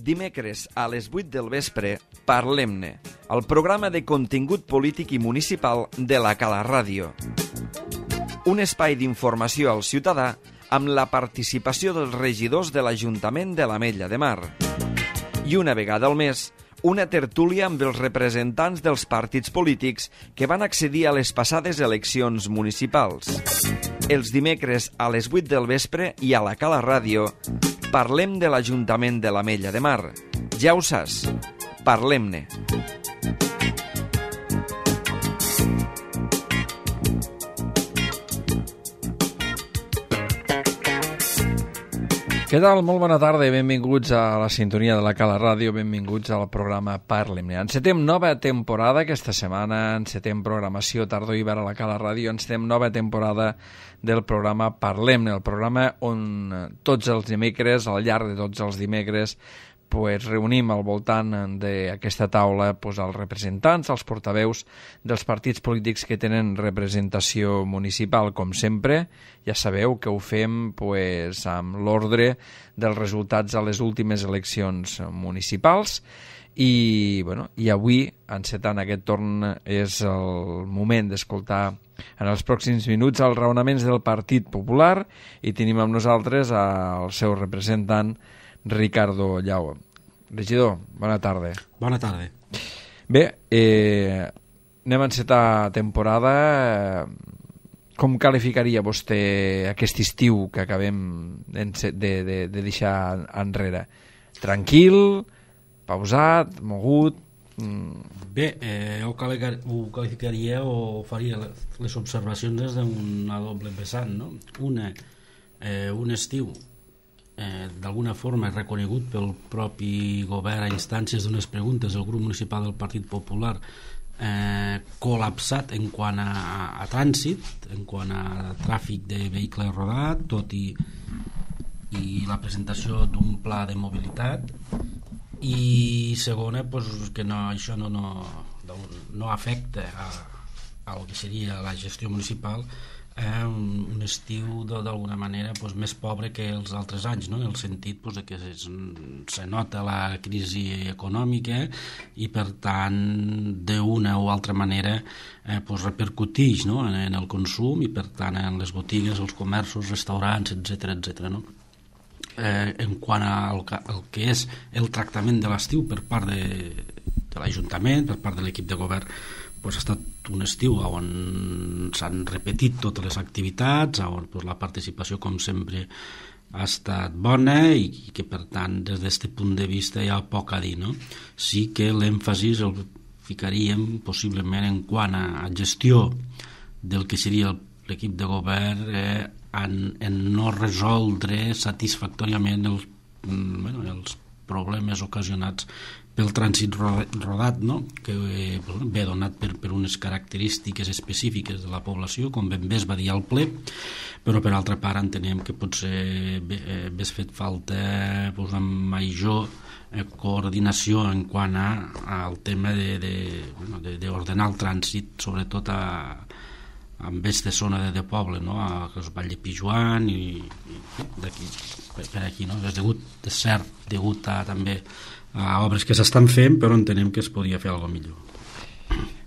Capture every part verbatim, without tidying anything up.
Dimecres a les vuit del vespre, Parlem-ne, el programa de contingut polític i municipal de la Cala Ràdio. Un espai d'informació al ciutadà amb la participació dels regidors de l'Ajuntament de l'Ametlla de Mar. I una vegada al mes, una tertúlia amb els representants dels partits polítics que van accedir a les passades eleccions municipals. Els dimecres a les vuit del vespre i a la Cala Ràdio parlem de l'Ajuntament de l'Ametlla de Mar. Ja ho saps, parlem-ne. Què tal? Molt bona tarda i benvinguts a la sintonia de la Cala Ràdio, benvinguts al programa Parlem-ne. Encetem nova temporada aquesta setmana, encetem programació tardor-hivern a la Cala Ràdio, encetem nova temporada del programa Parlem-ne, el programa on tots els dimecres, al llarg de tots els dimecres, pues, reunim al voltant d'aquesta taula pues, els representants, els portaveus dels partits polítics que tenen representació municipal, com sempre. Ja sabeu que ho fem pues, amb l'ordre dels resultats a les últimes eleccions municipals i, bueno, i avui, encetant aquest torn, és el moment d'escoltar en els pròxims minuts els raonaments del Partit Popular i tenim amb nosaltres el seu representant, Ricardo Llau. Regidor, bona tarda. Bona tarda. Bé, eh, anem a encetar temporada. Com qualificaria vostè aquest estiu que acabem de, de, de deixar enrere? Tranquil, pausat, mogut? Bé, eh, ho qualificaria o faria les observacions des d'una doble vessant, no? Una, eh, un estiu Eh, d'alguna forma reconegut pel propi govern a instàncies d'unes preguntes del grup municipal del Partit Popular, eh, col·lapsat en quant a, a trànsit, en quant a tràfic de vehicles rodat, tot i, i la presentació d'un pla de mobilitat, i segona, pues, que no, això no, no, no afecta a, a el que seria la gestió municipal, Eh, un, un estiu d'alguna manera pues, més pobre que els altres anys, no? En el sentit pues, de que es, se nota la crisi econòmica i per tant d'una o altra manera eh, pues, repercutix, no? en, en el consum i per tant en les botigues, els comerços, restaurants, etcètera, etcètera, no? Eh, en quant al, al que és el tractament de l'estiu per part de, de l'Ajuntament, per part de l'equip de govern, pues ha estat un estiu on s'han repetit totes les activitats, on pues, la participació, com sempre, ha estat bona i, i que, per tant, des d'aquest punt de vista hi ha poc a dir, no? Sí que l'èmfasis el ficaríem possiblement en quant a gestió del que seria l'equip de govern eh, en, en no resoldre satisfactòriament els, bueno, els problemes ocasionats pel trànsit rodat, no? Que ve donat per, per unes característiques específiques de la població, com ben bé es va dir al ple, però per altra part entenem que potser hagués fet falta pues, una major eh, coordinació en quant a, al tema de, de, bueno, de, d'ordenar el trànsit, sobretot a, a aquesta zona de, de poble, no? A el Vall de Pijuan i, i d'aquí, per, per aquí, no? És degut, és cert, degut a també a obres que s'estan fent, però entenem que es podia fer alguna millor.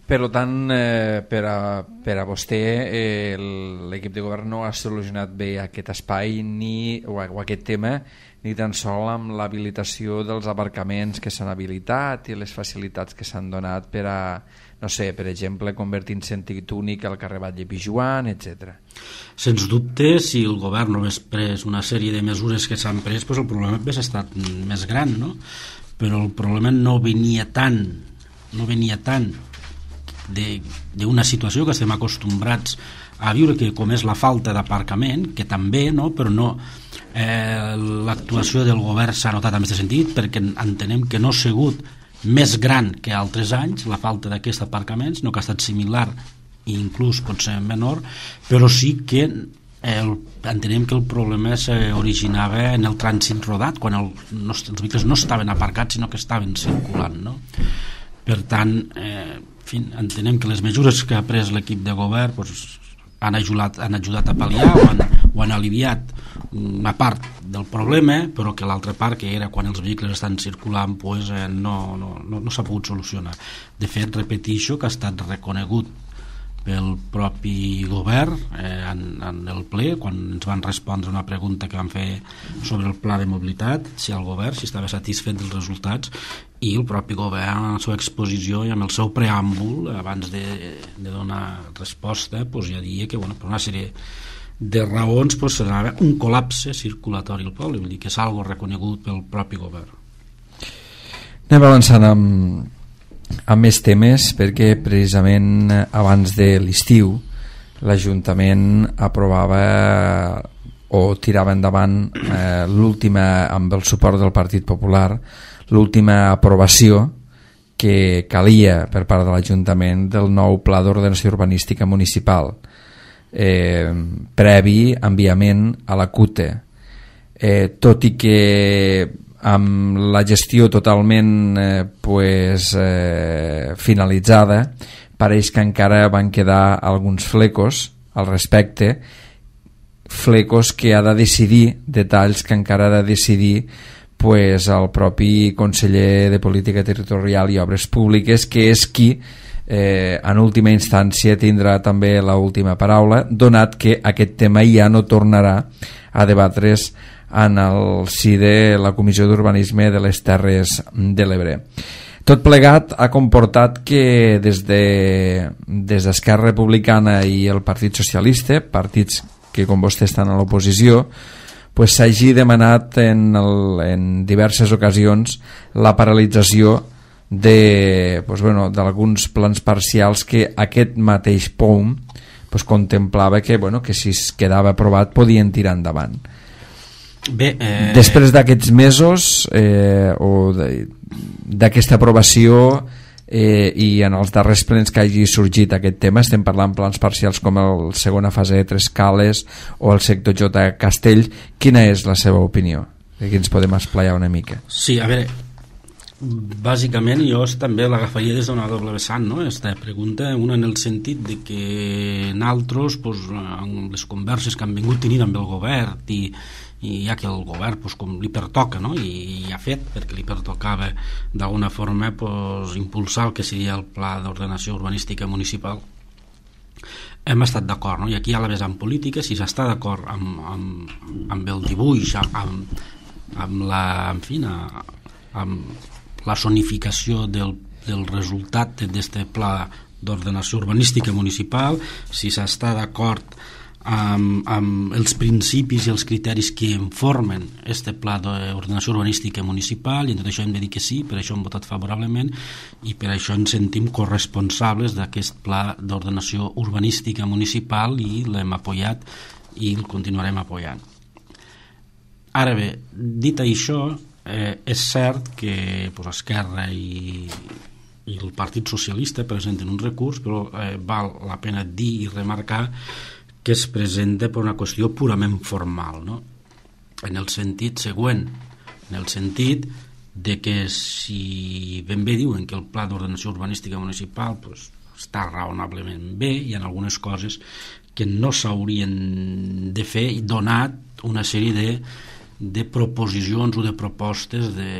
Per tant, eh, per, a, per a vostè, eh, l'equip de govern no ha solucionat bé aquest espai ni, o, o aquest tema, ni tan sol amb l'habilitació dels aparcaments que s'han habilitat i les facilitats que s'han donat per a, no sé, per exemple, convertir en sentit únic el carrer Vall de Pijuan, etcètera. Sens dubte, si el govern no hagués pres una sèrie de mesures que s'han pres, doncs el problema hauria estat més gran, no? Però el problema no venia tant, no venia tant d'una situació que estem acostumbrats a viure, que com és la falta d'aparcament, que també, no? Però no, eh, l'actuació del govern s'ha notat en aquest sentit, perquè entenem que no ha sigut més gran que altres anys la falta d'aquests aparcaments, no que ha estat similar i inclús pot ser menor, però sí que el, entenem que el problema s'originava en el trànsit rodat, quan el, no, els vehicles no estaven aparcats sinó que estaven circulant, no? Per tant, eh, en fi, entenem que les mesures que ha pres l'equip de govern pues, han, ajudat, han ajudat a pal·liar o han, o han aliviat una part del problema, però que l'altra part, que era quan els vehicles estan circulant, pues, eh, no, no, no, no s'ha pogut solucionar. De fet, repetixo que ha estat reconegut pel propi govern eh, en, en el ple, quan ens van respondre una pregunta que van fer sobre el pla de mobilitat, si el govern si estava satisfet dels resultats, i el propi govern en la seva exposició i amb el seu preàmbul abans de, de donar resposta pues, ja dia que bueno, per una sèrie de raons pues, serà un col·lapse circulatori al poble, vull dir que és algo reconegut pel propi govern. Anem avançant amb amb més temes, perquè precisament abans de l'estiu l'Ajuntament aprovava o tirava endavant eh, l'última, amb el suport del Partit Popular, l'última aprovació que calia per part de l'Ajuntament del nou Pla d'Ordenació Urbanística Municipal, eh, previ enviament a la C U T E, eh, tot i que amb la gestió totalment eh, pues, eh, finalitzada, pareix que encara van quedar alguns flecos al respecte, flecos que ha de decidir, detalls que encara ha de decidir pues, el propi conseller de Política Territorial i Obres Públiques, que és qui eh, en última instància tindrà també l'última paraula, donat que aquest tema ja no tornarà a debatre's en el si de la Comissió d'Urbanisme de les Terres de l'Ebre. Tot plegat ha comportat que des de des d'Esquerra Republicana i el Partit Socialista, partits que com vostè estan a l'oposició, pues s'hagi demanat en, el, en diverses ocasions la paralització de pues bueno, d'alguns plans parcials que aquest mateix P O M pues contemplava que, bueno, que si es quedava aprovat podien tirar endavant. Bé, eh... després d'aquests mesos eh, o d'aquesta aprovació eh, i en els darrers plens que hagi sorgit aquest tema, estem parlant plans parcials com el segona fase de Tres Cales o el sector J Castell, quina és la seva opinió? Aquí ens podem esplaiar una mica. Sí, a veure, bàsicament jo també l'agafaria des d'una doble vessant, no? Esta pregunta, una en el sentit de que nosaltres pues, en les converses que han vingut tenint amb el govern i i ja que el govern pues, com li pertoca, no? I, i ha fet perquè li pertocava d'alguna forma pues, impulsar el que seria el Pla d'Ordenació Urbanística Municipal, hem estat d'acord, no? I aquí hi ha la vessant política, si s'està d'acord amb, amb, amb el dibuix, amb, amb la en fi, amb la sonificació del, del resultat d'aquest Pla d'Ordenació Urbanística Municipal, si s'està d'acord Amb, amb els principis i els criteris que informen este pla d'ordenació urbanística municipal, i en tot això hem de dir que sí, per això hem votat favorablement i per això ens sentim corresponsables d'aquest pla d'ordenació urbanística municipal i l'hem apoyat i el continuarem apoyant. Ara bé, dit això, eh, és cert que pues, Esquerra i, i el Partit Socialista presenten un recurs, però eh, val la pena dir i remarcar que es presenta per una qüestió purament formal, no? En el sentit següent, en el sentit de que si ben bé diuen que el Pla d'Ordenació Urbanística Municipal pues, està raonablement bé, hi ha algunes coses que no s'haurien de fer, donat una sèrie de, de proposicions o de propostes de,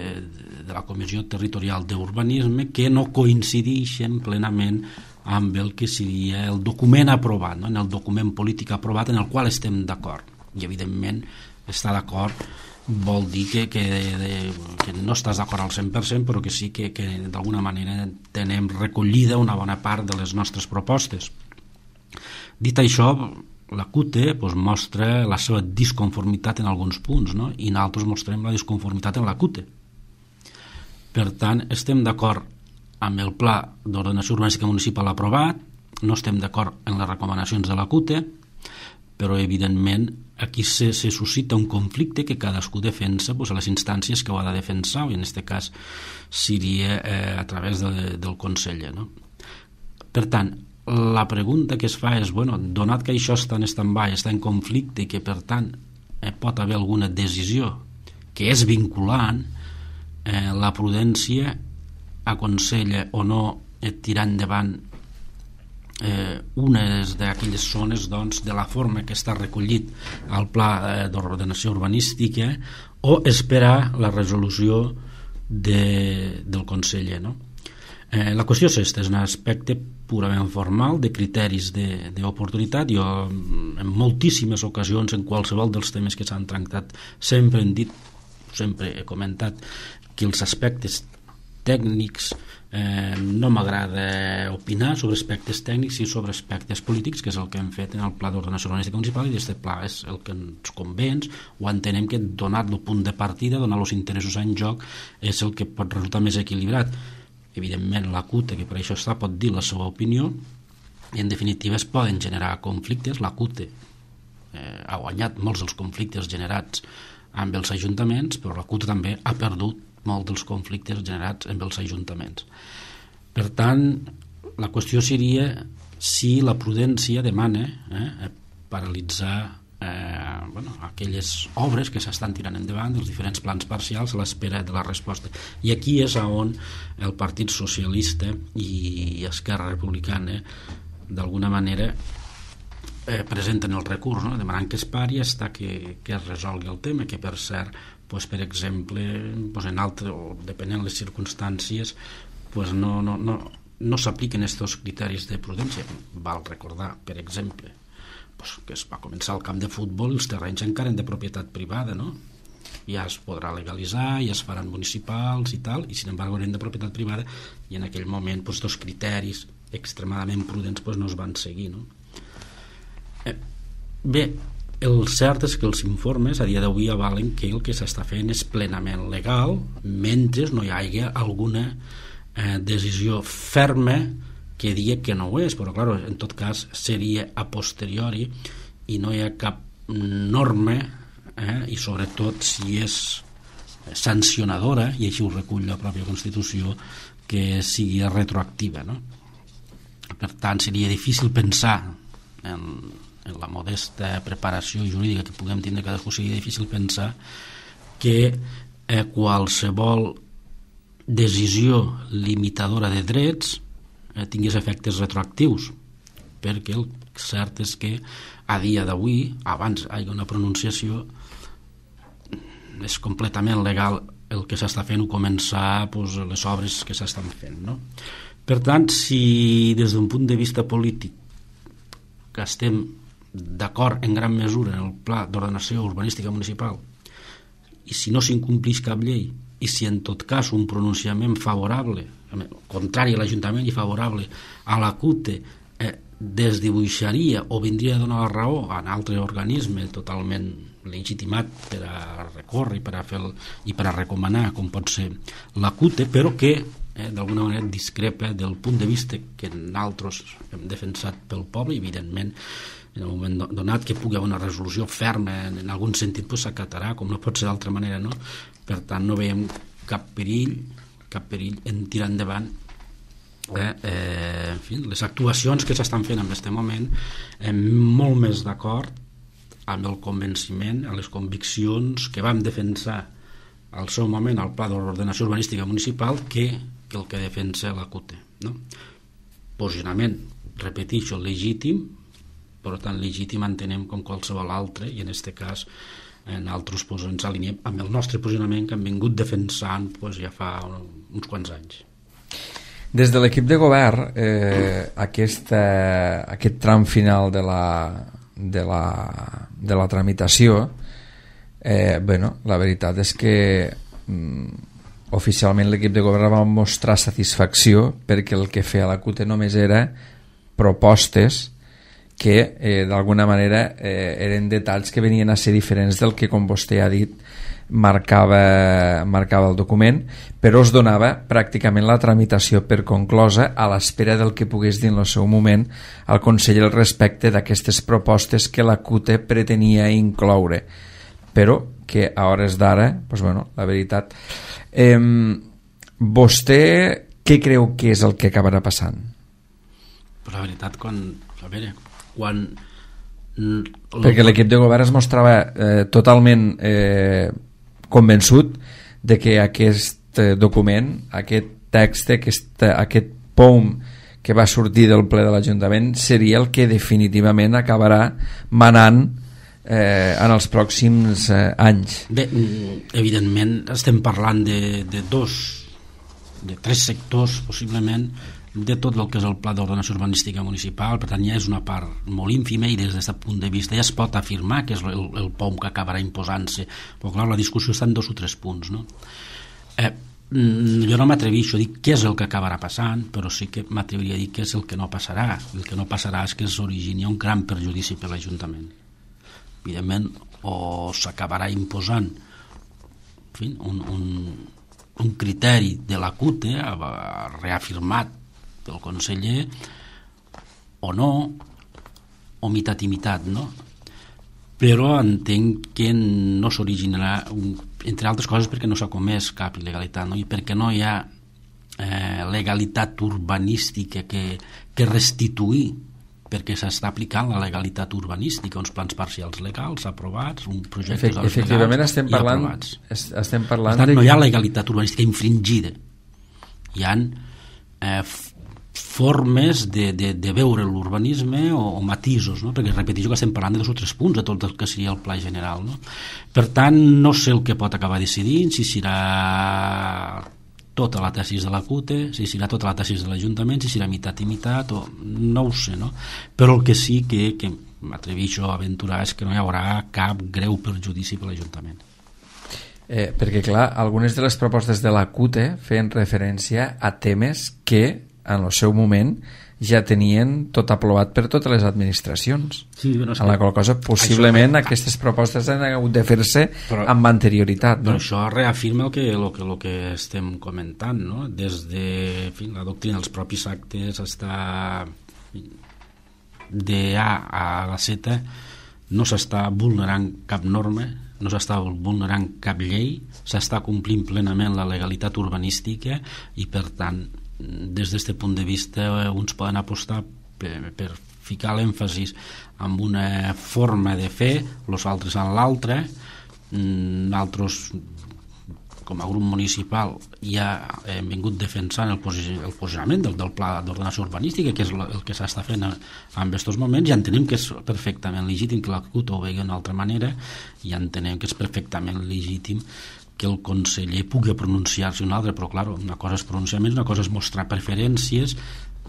de la Comissió Territorial d'Urbanisme que no coincideixen plenament amb el que seria el document aprovat, no? En el document polític aprovat en el qual estem d'acord. I evidentment estar d'acord vol dir que, que, de, que no estàs d'acord al cent per cent, però que sí que, que d'alguna manera tenem recollida una bona part de les nostres propostes. Dit això, la C U T E pues, mostra la seva disconformitat en alguns punts, no? I nosaltres mostrem la disconformitat en la C U T E. Per tant, estem d'acord amb el Pla d'Ordenació Urbanística Municipal aprovat, no estem d'acord en les recomanacions de la C U T E, però evidentment aquí se, se suscita un conflicte que cadascú defensa pues, a les instàncies que ho ha de defensar, i en aquest cas seria eh, a través de, del conseller, no? Per tant, la pregunta que es fa és, bueno, donat que això està en stand-by, està en conflicte i que per tant eh, pot haver alguna decisió que és vinculant, eh, la prudència aconsella o no tirar endavant eh, unes d'aquelles zones doncs, de la forma que està recollit al pla eh, d'ordenació urbanística, o esperar la resolució de, del conseller, no? Eh, la qüestió és aquesta, és un aspecte purament formal de criteris d'oportunitat. Jo en moltíssimes ocasions, en qualsevol dels temes que s'han tractat, sempre hem dit, sempre he comentat que els aspectes tècnics eh, no m'agrada opinar sobre aspectes tècnics i sobre aspectes polítics, que és el que hem fet en el Pla d'Ordenació Urbanística Municipal, i aquest pla és el que ens convenç, o entenem que donat el punt de partida, donat els interessos en joc, és el que pot resultar més equilibrat. Evidentment la CUTE, que per això està, pot dir la seva opinió, i en definitiva es poden generar conflictes. La CUTE eh, ha guanyat molts dels conflictes generats amb els ajuntaments, però la CUTE també ha perdut molts dels conflictes generats amb els ajuntaments. Per tant, la qüestió seria si la prudència demana eh, paralitzar eh, bueno, aquelles obres que s'estan tirant endavant dels diferents plans parcials a l'espera de la resposta. I aquí és on el Partit Socialista i Esquerra Republicana d'alguna manera eh, presenten el recurs, no? Demanant que es pari fins que, que es resolgui el tema, que per cert, pues, per exemple, pues, en altre, o depenent de les circumstàncies, pues, no, no, no, no s'apliquen aquests criteris de prudència. Val recordar, per exemple, pues, que es va començar el camp de futbol i els terrenys encara eren de propietat privada, no? Ja es podrà legalitzar, ja es faran municipals i tal, i sin embargo eren de propietat privada, i en aquell moment pues, dos criteris extremadament prudents pues, no es van seguir, no? Eh, bé, el cert és que els informes a dia d'avui avalen que el que s'està fent és plenament legal mentre no hi hagi alguna eh, decisió ferma que digui que no ho és, però clar, en tot cas seria a posteriori i no hi ha cap norma eh, i sobretot si és sancionadora, i així ho recull la pròpia Constitució, que sigui retroactiva, no? Per tant, seria difícil pensar en en la modesta preparació jurídica que puguem tindre cadascú, seria difícil pensar que eh, qualsevol decisió limitadora de drets eh, tingués efectes retroactius, perquè el cert és que a dia d'avui, abans hi ha una pronunciació, és completament legal el que s'està fent o començar pues, les obres que s'estan fent, no? Per tant, si des d'un punt de vista polític que estem d'acord en gran mesura en el pla d'ordenació urbanística municipal, i si no s'incomplís cap llei, i si en tot cas un pronunciament favorable, contrari a l'Ajuntament i favorable a la CUTE, eh, desdibuixaria o vindria a donar la raó a un altre organisme totalment legitimat per a recórrer i per a, fer el, i per a recomanar, com pot ser la CUTE, però que eh, d'alguna manera discrepa del punt de vista que nosaltres hem defensat pel poble, i evidentment en el moment donat que pugui haver una resolució ferma en, en algun sentit pues, s'acatarà, com no pot ser d'altra manera, no? Per tant no veiem cap perill cap perill en tirar endavant eh, eh, en fi, les actuacions que s'estan fent en aquest moment, eh, molt més d'acord amb el convenciment, amb les conviccions que vam defensar al seu moment al Pla d'Ordenació Urbanística Municipal que, que el que defensa la CUTE, no? Posicionament, repeteixo, legítim, però tan legítim entenem com qualsevol altre, i en aquest cas en altres pues, ens aliniem amb el nostre posicionament que hem vingut defensant pues, ja fa uns quants anys. Des de l'equip de govern, eh, aquesta, aquest tram final de la, de la, de la tramitació, eh, bueno, la veritat és que mm, oficialment l'equip de govern va mostrar satisfacció perquè el que feia la CUTE només era propostes que eh, d'alguna manera eh, eren detalls que venien a ser diferents del que, com vostè ha dit, marcava, marcava el document, però es donava pràcticament la tramitació per conclosa a l'espera del que pogués dir en el seu moment el conseller al respecte d'aquestes propostes que la CUTE pretenia incloure, però que a hores d'ara, doncs bueno, la veritat, eh, vostè què creu que és el que acabarà passant? Però la veritat, quan, a veure, quan perquè l'equip de govern es mostrava eh, totalment eh, convençut de que aquest eh, document, aquest text, aquest, aquest P O M que va sortir del ple de l'Ajuntament seria el que definitivament acabarà manant eh, en els pròxims eh, anys. Bé, evidentment estem parlant de, de dos, de tres sectors possiblement de tot el que és el pla d'ordenació urbanística municipal, per tant ja és una part molt ínfima i des d'aquest punt de vista ja es pot afirmar que és el, el P O M que acabarà imposant-se, però clar, la discussió està en dos o tres punts, no? Eh, jo no m'atreveixo a dir què és el que acabarà passant, però sí que m'atreviria a dir què és el que no passarà. El que no passarà és que s'origini un gran perjudici per l'Ajuntament. Evidentment, o s'acabarà imposant en fi, un, un, un criteri de la C U T E reafirmat pel conseller o no, o mitat i mitat, no? Però entenc que no s'originarà, entre altres coses perquè no s'ha comès cap il·legalitat, no? I perquè no hi ha eh, legalitat urbanística que, que restituir, perquè s'està aplicant la legalitat urbanística, uns plans parcials legals aprovats, un projecte Efect, efectivament legals estem parlant, estem parlant per tant, de... no hi ha legalitat urbanística infringida, hi ha eh, formes de, de, de veure l'urbanisme o, o matisos, no? Perquè repeteixo que estem parlant de dos o tres punts de tot el que seria el pla general, no? Per tant, no sé el que pot acabar decidint, si serà tota la tesis de la C U T E, si serà tota la tesis de l'Ajuntament, si serà mitat i mitat, o no ho sé, no? Però el que sí que, que m'atreveixo a aventurar és que no hi haurà cap greu perjudici per l'Ajuntament. Eh, perquè clar, algunes de les propostes de la C U T E feien referència a temes que en el seu moment ja tenien tot aprovat per totes les administracions, sí, bueno, en la qual cosa possiblement això... aquestes propostes han hagut de fer-se però, amb anterioritat, no? Però això reafirma el que, el que, el que estem comentant, no? Des de en fi, la doctrina dels propis actes està de A a la Z, no s'està vulnerant cap norma, no s'està vulnerant cap llei, s'està complint plenament la legalitat urbanística i per tant des d'aquest punt de vista uns poden apostar per, per ficar l'èmfasis en una forma de fer, els altres en l'altra. Nosaltres com a grup municipal ja hem vingut defensant el, posi el posicionament del, del pla d'ordenació urbanística, que és el que s'està fent en aquests moments, i entenem que és perfectament legítim que la C U T E ho vegi d'una altra manera, i entenem que és perfectament legítim que el conseller pugui pronunciar-se una altra, però clar, una cosa és pronunciaments, una cosa és mostrar preferències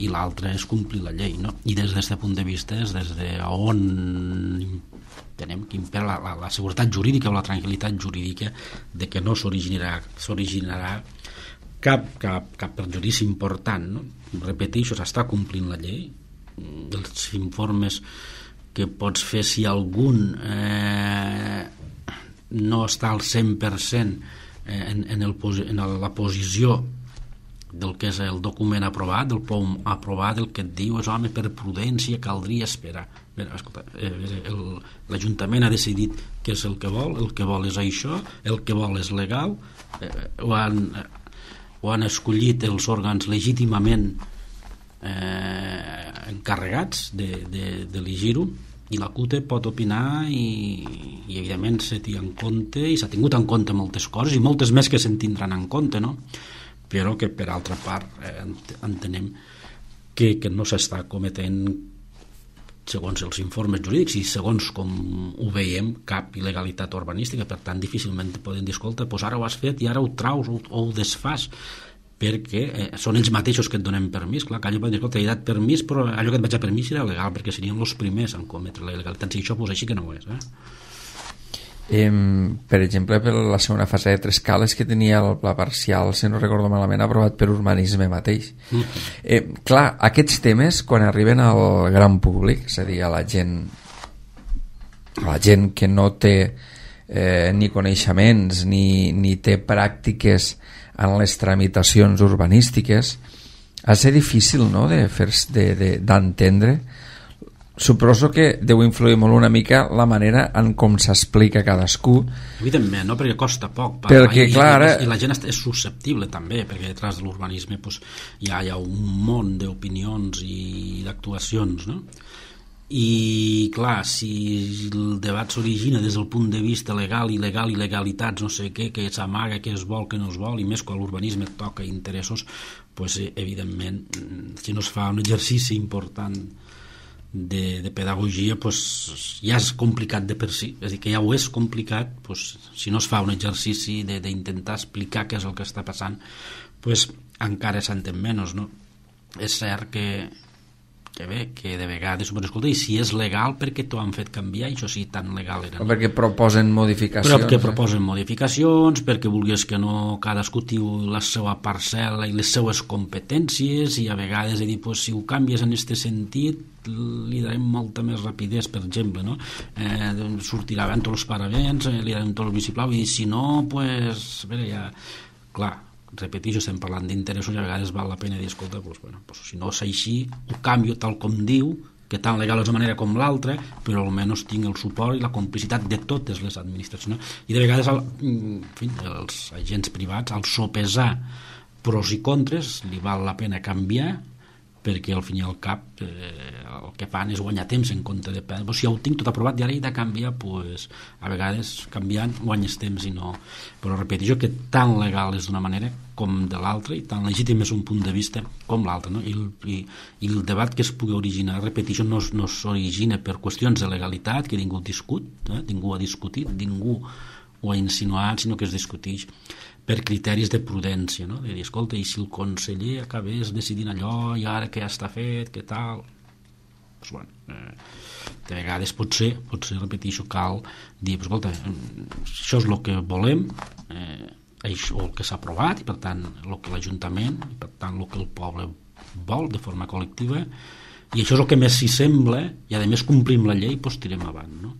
i l'altra és complir la llei, no? I des d'aquest punt de vista és des d'on tenem que impera la, la, la seguretat jurídica o la tranquil·litat jurídica de que no s'originarà s'originarà cap, cap, cap perjudici important, no? Repeteixo, s'està complint la llei, els informes que pots fer si algun eh, no està al cent per cent en, en, el, en la posició del que és el document aprovat, del P O M aprovat, el que et diu és, home, per prudència caldria esperar. L'Ajuntament ha decidit què és el que vol, el que vol és això, el que vol és legal, eh, ho, han, ho han escollit els òrgans legítimament eh, encarregats d'elegir-ho, i la C U T E pot opinar i, i evidentment se té en compte i s'ha tingut en compte moltes coses i moltes més que se'n tindran en compte, no? Però que per altra part eh, entenem que, que no s'està cometent, segons els informes jurídics i segons com ho veiem, cap il·legalitat urbanística. Per tant, difícilment poden dir, escolta, doncs ara ho has fet i ara ho traus o, o ho desfas, perquè eh, són ells mateixos que et donen permís. Clar, que allò pot dir, escolta, he dat permís, però allò que et vaig a permís era legal, perquè serien els primers en cometre la il·legalitat. Si això pues, així que no ho és. Eh? Eh, per exemple, per la segona fase de Tres Cales, que tenia el pla parcial, si no recordo malament, aprovat per urbanisme mateix. Mm. Eh, clar, aquests temes, quan arriben al gran públic, és a dir, a la gent, a la gent que no té eh, ni coneixements ni, ni té pràctiques en les tramitacions urbanístiques, ha de ser difícil, no?, de d'entendre. Suposo que deu influir molt una mica la manera en com s'explica cadascú. Evidentment, no?, perquè costa poc perquè, i, clar, ara... i la gent és susceptible també, perquè detrás de l'urbanisme pues, hi, ha, hi ha un món d'opinions i d'actuacions, no? i clar, si el debat s'origina des del punt de vista legal, il·legal, il·legalitats, no sé què, que s'amaga, que es vol, que no es vol, i més quan l'urbanisme toca interessos, pues, evidentment, si no es fa un exercici important de, de pedagogia, pues, ja és complicat de per si, és a dir, que ja ho és complicat, pues, si no es fa un exercici d'intentar explicar què és el que està passant, pues, encara s'entén menys, no? És cert que que bé, que de vegades però escolta, i si és legal perquè t'ho han fet canviar, això sí, tan legal era, no? Perquè proposen modificacions, però que proposen eh? modificacions, perquè vulguis que no cadascú tingui la seva parcel·la i les seues competències, i a vegades he dit, pues, si ho canvies en aquest sentit li darem molta més rapidesa, per exemple, no? Eh, sortirà abans tots els paravents, eh, li darem tot el vistiplau, i si no, pues, a veure, ja, clar, repeteixo, estem parlant d'interessos i a vegades val la pena dir, escolta, doncs, bueno, doncs, si no és així, ho canvio tal com diu, que tan legal és una manera com l'altra, però almenys tinc el suport i la complicitat de totes les administracions, no? I de vegades el, en fi, els agents privats, al sopesar pros i contres, li val la pena canviar, perquè al fin i al cap eh, el que fan és guanyar temps en compte de perdre. Però si ja ho tinc tot aprovat i ara he de canviar, pues, a vegades canviant guanyes temps i no. Però repeteixo que tan legal és d'una manera com de l'altra, i tan legítim és un punt de vista com l'altre, no? I, i, i el debat que es pugui originar, repeteixo, no, no s'origina per qüestions de legalitat que ningú discut, eh? ningú ha discutit, ningú ho ha insinuat, sinó que es discuteix per criteris de prudència, no? De dir, escolta, i si el conseller acabés decidint allò i ara que ja està fet, què tal? Pues, bueno, eh, de vegades potser, potser repeteixo, cal dir, pues, escolta, això és el que volem, eh, això el que s'ha aprovat, i per tant el que l'Ajuntament, i per tant el que el poble vol de forma col·lectiva, i això és el que més s'hi sembla, i a més complim la llei, doncs tirem avant, no?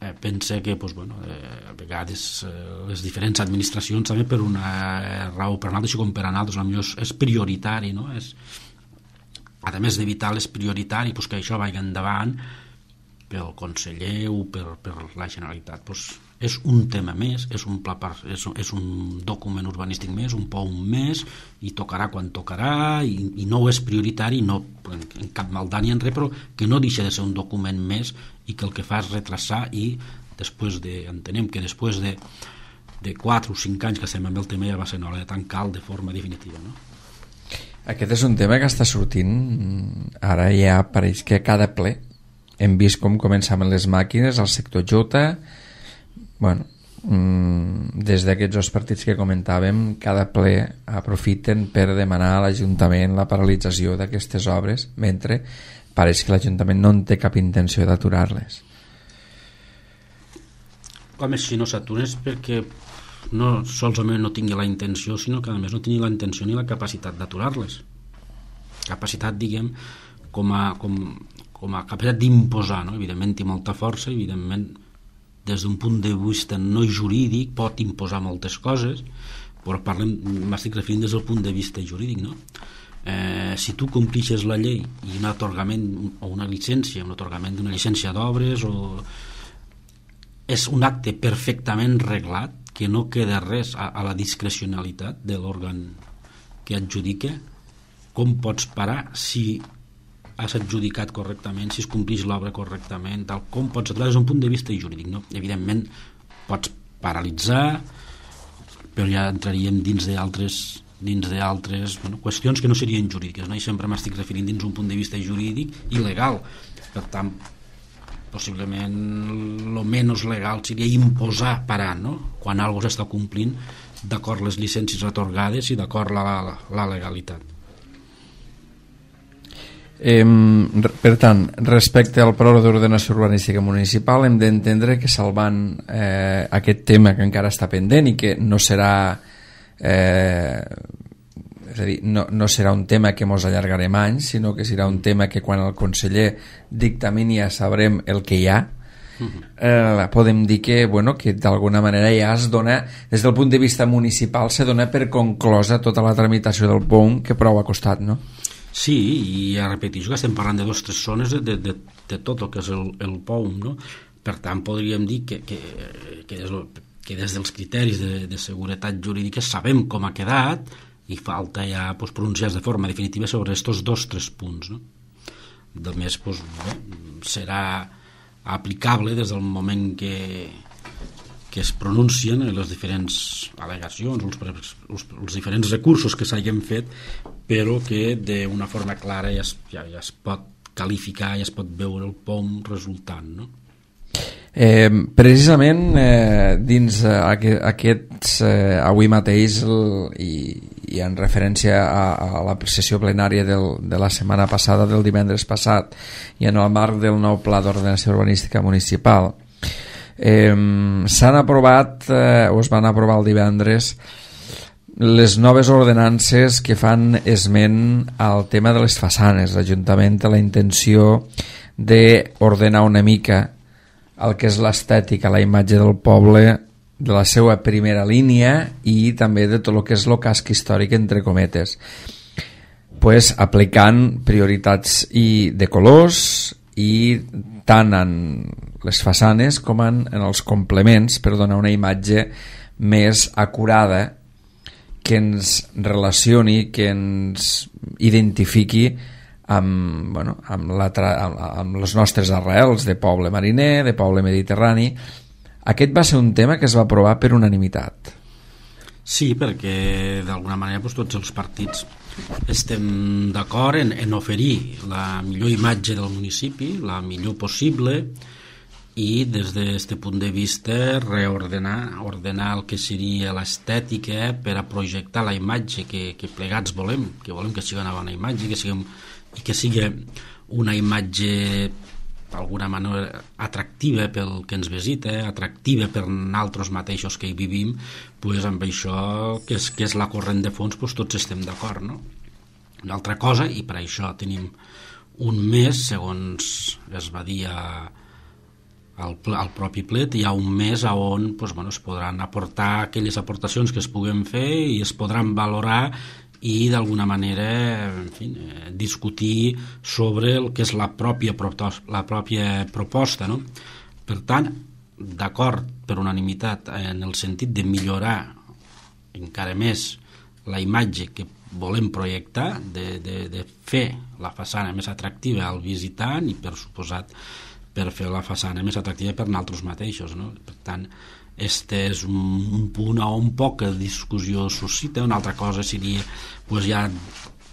Eh, pense que pues, bueno, eh, a vegades eh, les diferents administracions també per una raó per una altra, com per anar altres, potser és, és prioritari, no? És, a més d'evitar és prioritari pues, que això vagi endavant pel conseller o per, per la Generalitat, pues, és un tema més, és un, pla per, és, és un document urbanístic més, un P O U més, i tocarà quan tocarà, i, i no és prioritari, no en, en cap maldat ni en res, però que no deixa de ser un document més i que el que fa és retrasar, i després de, entenem que després de, de quatre o cinc anys que estem amb el tema ja va ser hora de tancar de forma definitiva, no? Aquest és un tema que està sortint ara, ja pareix que a cada ple hem vist com començaven les màquines, el sector Jota, bueno, des d'aquests dos partits que comentàvem, cada ple aprofiten per demanar a l'Ajuntament la paralització d'aquestes obres, mentre pareix que l'Ajuntament no en té cap intenció d'aturar-les. Home, si no s'atures perquè no solament no tingui la intenció, sinó que a més no tingui la intenció ni la capacitat d'aturar-les. Capacitat, diguem, com a, com, com a capacitat d'imposar, no? Evidentment té molta força, evidentment des d'un punt de vista no jurídic pot imposar moltes coses, però parlem, m'estic referint des del punt de vista jurídic, no? Eh, si tu complixes la llei i un atorgament o una llicència, un atorgament d'una llicència d'obres, o és un acte perfectament reglat, que no queda res a, a la discrecionalitat de l'òrgan que adjudica, com pots parar si has adjudicat correctament, si es complix l'obra correctament, tal com pots aturar des d'un punt de vista jurídic, no? Evidentment pots paralitzar, però ja entraríem dins d'altres dins d'altres bueno, qüestions que no serien jurídiques, no? I sempre m'estic referint dins un punt de vista jurídic i legal. Per tant, possiblement el menys legal seria imposar parar, no? Quan algú s'està complint d'acord les llicències atorgades i d'acord la, la, la legalitat. Eh, per tant, respecte al Pla d'Ordenació Urbanística Municipal, hem d'entendre que salvant eh, aquest tema que encara està pendent i que no serà eh, és a dir, no, no serà un tema que mos allargarem anys, sinó que serà un tema que quan el conseller dictamini ja sabrem el que hi ha. Eh, podem dir que, bueno, que d'alguna manera ja es dona, des del punt de vista municipal, se dona per conclosa tota la tramitació del P O U que prou ha costat, no? Sí, i ja repeteixo que estem parlant de dues o tres zones de, de, de tot el que és el, el P O U, no? Per tant, podríem dir que, que, que, des, que des dels criteris de, de seguretat jurídica sabem com ha quedat i falta ja pues, pronunciar de forma definitiva sobre aquests dos o tres punts, no? de més doncs, bé, serà aplicable des del moment que, que es pronuncien les diferents al·legacions, els, els, els diferents recursos que s'hagin fet, però que d'una forma clara ja es, ja, ja es pot qualificar, ja es pot veure el pom resultant, no? Eh, precisament eh, dins eh, aquests eh, avui mateix el, i, i en referència a, a la sessió plenària del, de la setmana passada, del divendres passat, i en el marc del nou pla d'ordenació urbanística municipal, eh, s'han aprovat eh, o es van aprovar el divendres les noves ordenances que fan esment al tema de les façanes. L'Ajuntament té la intenció d'ordenar una mica el que és l'estètica, la imatge del poble, de la seva primera línia i també de tot el que és el casc històric, entre cometes, pues, aplicant prioritats i de colors i tant en les façanes com en, en els complements, per donar una imatge més acurada que ens relacioni, que ens identifiqui amb, bueno, amb, la tra amb, amb les nostres arrels de poble mariner, de poble mediterrani. Aquest va ser un tema que es va aprovar per unanimitat. Sí, perquè d'alguna manera doncs, tots els partits estem d'acord en, en oferir la millor imatge del municipi, la millor possible, i des d'aquest punt de vista reordenar ordenar el que seria l'estètica per a projectar la imatge que, que plegats volem, que volem que sigui una bona imatge, que siguem i que sigui una imatge d'alguna manera atractiva pel que ens visita, atractiva per nosaltres mateixos que hi vivim, pues amb això que és, que és la corrent de fons, pues tots estem d'acord, no? Una altra cosa, i per això tenim un mes, segons es va dir a, al, al propi plet, hi ha un mes on pues, bueno, es podran aportar aquelles aportacions que es puguen fer i es podran valorar i d'alguna manera en fi, eh, discutir sobre el que és la pròpia, la pròpia proposta, no? Per tant, d'acord per unanimitat en el sentit de millorar encara més la imatge que volem projectar, de, de, de fer la façana més atractiva al visitant i per suposat per fer la façana més atractiva per nosaltres mateixos, no? Per tant, este és un, un punt on poca discussió suscita. Una altra cosa seria pues, ja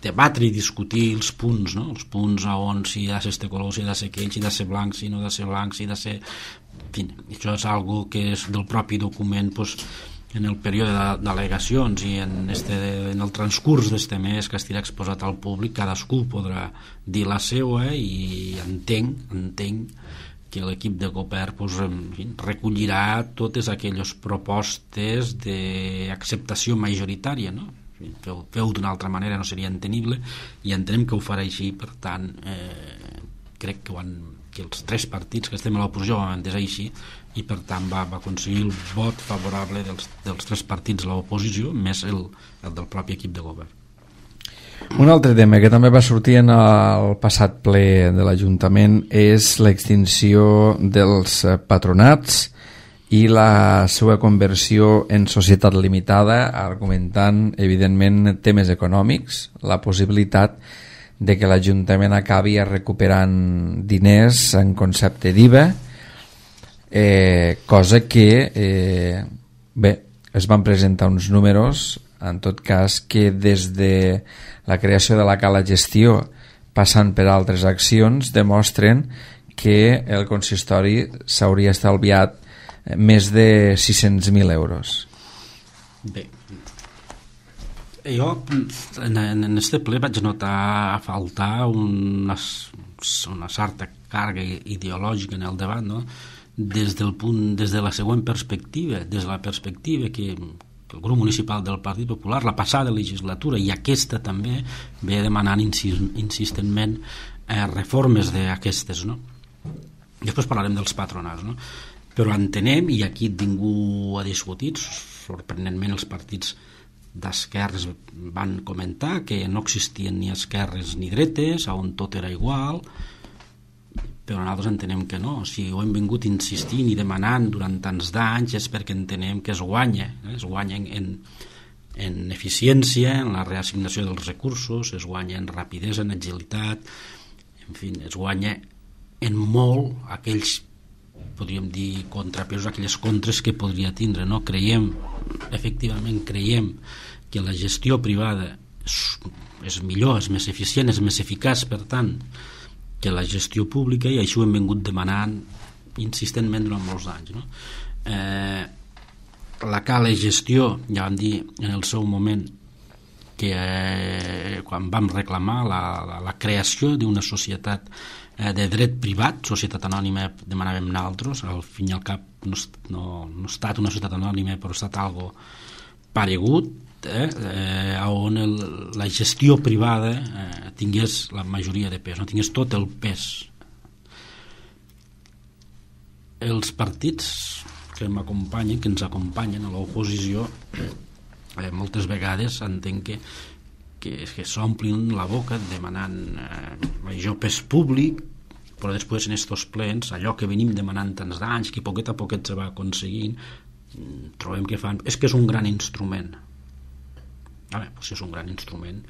debatre i discutir els punts, no? Els punts on si ha de ser este color, si ha de ser aquell, si ha de ser blanc, si no ha de ser blanc, si ha de ser... En fi, això és algo que és del propi document, pues, en el període d'al·legacions i en, este, en el transcurs d'este mes que estirà exposat al públic, cadascú podrà dir la seva i entenc, entenc que l'equip de govern pues, en fi, recollirà totes aquelles propostes d'acceptació majoritària, no? Feu, feu d'una altra manera no seria entenible i entenem que ho farà així. Per tant, eh, crec que, han, que els tres partits que estem a l'oposició ho han entès així i per tant va, va aconseguir el vot favorable dels, dels tres partits a l'oposició més el, el del propi equip de govern. Un altre tema que també va sortir en el passat ple de l'Ajuntament és l'extinció dels patronats i la seva conversió en societat limitada, argumentant evidentment temes econòmics, la possibilitat de que l'Ajuntament acabi recuperant diners en concepte d'I V A, eh, cosa que eh, bé, es van presentar uns números en tot cas que des de la creació de la cala gestió passant per altres accions demostren que el consistori s'hauria estalviat més de sis-cents mil euros. Bé, jo en este ple vaig notar a faltar una, una certa càrrega ideològica en el debat, no? Des del punt, des de la següent perspectiva, des de la perspectiva que el grup municipal del Partit Popular la passada legislatura i aquesta també ve demanant insistentment eh, reformes d'aquestes, no? Després parlarem dels patronats, no? Però entenem, i aquí ningú ha discutit, sorprenentment els partits d'esquerres van comentar que no existien ni esquerres ni dretes, on tot era igual, però nosaltres entenem que no. Si ho hem vingut insistint i demanant durant tants d'anys és perquè entenem que es guanya, eh? es guanya en, en eficiència, en la reassignació dels recursos, es guanya en rapidesa, en agilitat, en en fi, es guanya en molt aquells, podríem dir, contrapesos, aquelles contres que podria tindre, no? Creiem, efectivament creiem que la gestió privada és, és millor, és més eficient, és més eficaç, per tant, que la gestió pública, i això ho hem vingut demanant insistentment durant molts anys, no? Eh, la cala gestió, ja vam dir en el seu moment que eh, quan vam reclamar la, la, la creació d'una societat eh, de dret privat, societat anònima demanàvem nosaltres, al fin i al cap no, no, no ha estat una societat anònima, però ha estat algo paregut, eh, eh, on el, la gestió privada eh, tingués la majoria de pes, no tingués tot el pes. Els partits que m'acompanyen, que ens acompanyen a l'oposició, eh, moltes vegades entenc que, que, que s'omplin la boca demanant eh, major pes públic, però després en estos plens, allò que venim demanant tants d'anys, que poquet a poquet se va aconseguint, trobem que fan, és que és un gran instrument. A veure, doncs és un gran instrument,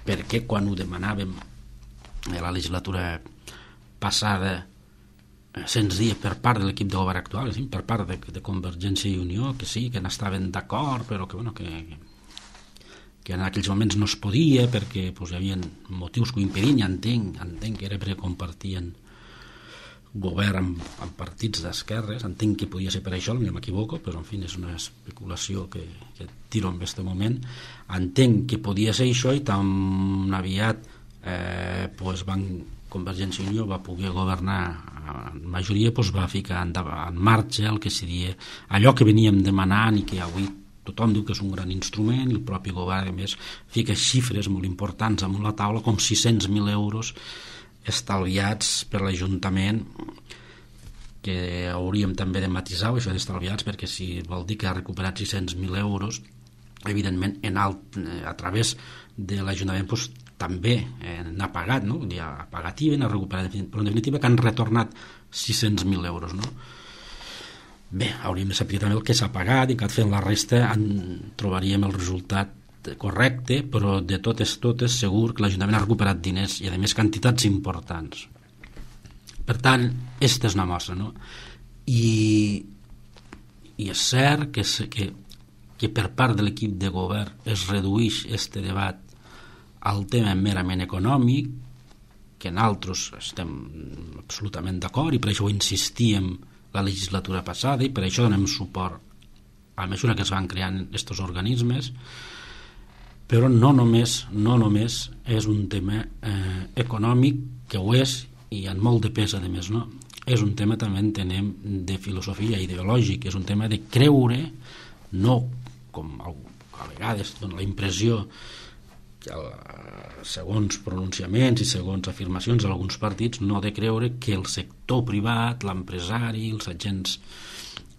perquè quan ho demanàvem a la legislatura passada se'ns dia per part de l'equip de govern actual, sí, per part de, de Convergència i Unió, que sí, que n'estaven d'acord, però que, bueno, que, que en aquells moments no es podia perquè pues, hi havia motius que ho impedien, i entenc, entenc que era perquè compartien govern amb, amb partits d'esquerres, entenc que podia ser per això, no m'equivoco, però en fi és una especulació que, que tiro en aquest moment. Entenc que podia ser això, i tan aviat eh, pues van, Convergència i Unió va poder governar en majoria, pues va ficar en, en marxa el que seria allò que veníem demanant i que avui tothom diu que és un gran instrument, i el propi govern a més fica xifres molt importants amunt la taula, com sis-cents mil euros estalviats per l'Ajuntament, que hauríem també de matisar això d'estalviats, perquè si vol dir que ha recuperat sis-cents mil euros, evidentment en alt, a través de l'Ajuntament pues, també eh, n'ha pagat, no? Ha pagat I V A, n'ha recuperat, però en definitiva que han retornat sis-cents mil euros, no? Bé, hauríem de saber també el que s'ha pagat, i que fent la resta en trobaríem el resultat correcte, però de totes totes segur que l'Ajuntament ha recuperat diners, i a més quantitats importants. Per tant, aquesta és una mostra, no? I, i és cert que, que, que per part de l'equip de govern es redueix este debat al tema merament econòmic, que nosaltres estem absolutament d'acord, i per això ho insistíem la legislatura passada, i per això donem suport a mesura que es van creant aquests organismes. Però no només, no només és un tema eh, econòmic, que ho és, i en molt de pes, a més, no? És un tema, també entenem, de filosofia ideològica, és un tema de creure, no com a vegades dona la impressió que segons pronunciaments i segons afirmacions d'alguns partits, no de creure que el sector privat, l'empresari, els agents